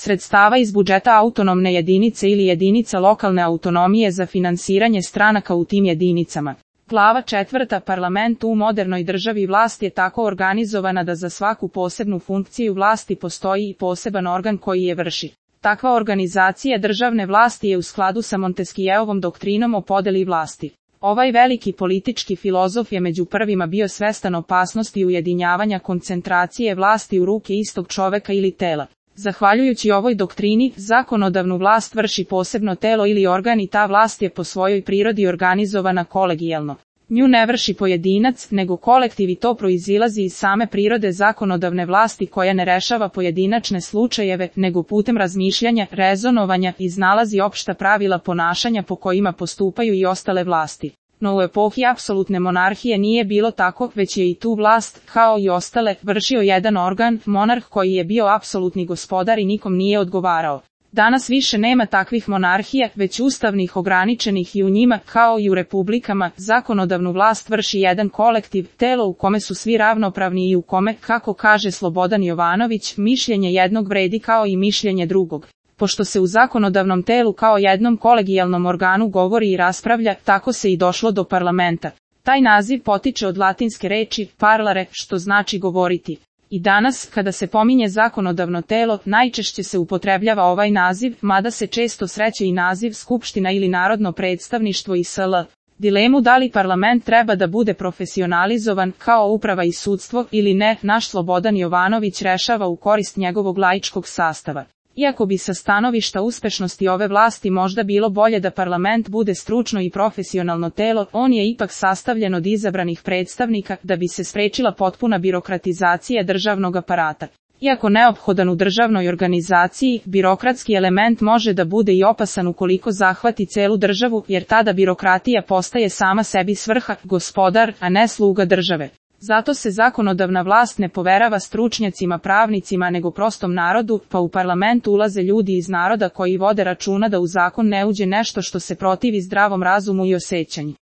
sredstava iz budžeta autonomne jedinice ili jedinica lokalne autonomije za finansiranje stranaka u tim jedinicama. Glava 4. Parlament u modernoj državi vlast je tako organizovana da za svaku posebnu funkciju vlasti postoji i poseban organ koji je vrši. Takva organizacija državne vlasti je u skladu sa Montesquieuovom doktrinom o podeli vlasti. Ovaj veliki politički filozof je među prvima bio svestan opasnosti ujedinjavanja koncentracije vlasti u ruke istog čoveka ili tela. Zahvaljujući ovoj doktrini, zakonodavnu vlast vrši posebno telo ili organ i ta vlast je po svojoj prirodi organizovana kolegijalno. Nju ne vrši pojedinac, nego kolektiv i to proizilazi iz same prirode zakonodavne vlasti koja ne rešava pojedinačne slučajeve, nego putem razmišljanja, rezonovanja, iznalazi opšta pravila ponašanja po kojima postupaju i ostale vlasti. No u epohi apsolutne monarhije nije bilo tako, već je i tu vlast, kao i ostale, vršio jedan organ, monarh koji je bio apsolutni gospodar i nikom nije odgovarao. Danas više nema takvih monarhija, već ustavnih ograničenih i u njima, kao i u republikama, zakonodavnu vlast vrši jedan kolektiv, telo u kome su svi ravnopravni i u kome, kako kaže Slobodan Jovanović, mišljenje jednog vredi kao i mišljenje drugog. Pošto se u zakonodavnom telu kao jednom kolegijalnom organu govori i raspravlja, tako se i došlo do parlamenta. Taj naziv potiče od latinske reči parlare, što znači govoriti. I danas, kada se pominje zakonodavno telo, najčešće se upotrebljava ovaj naziv, mada se često sreće i naziv skupština ili narodno predstavništvo i sl. Dilemu da li parlament treba da bude profesionalizovan, kao uprava i sudstvo, ili ne, naš Slobodan Jovanović rešava u korist njegovog laičkog sastava. Iako bi sa stanovišta uspešnosti ove vlasti možda bilo bolje da parlament bude stručno i profesionalno telo, on je ipak sastavljen od izabranih predstavnika, da bi se sprečila potpuna birokratizacija državnog aparata. Iako neophodan u državnoj organizaciji, birokratski element može da bude i opasan ukoliko zahvati celu državu, jer tada birokratija postaje sama sebi svrha, gospodar, a ne sluga države. Zato se zakonodavna vlast ne poverava stručnjacima pravnicima nego prostom narodu, pa u parlament ulaze ljudi iz naroda koji vode računa da u zakon ne uđe nešto što se protivi zdravom razumu i osećanju.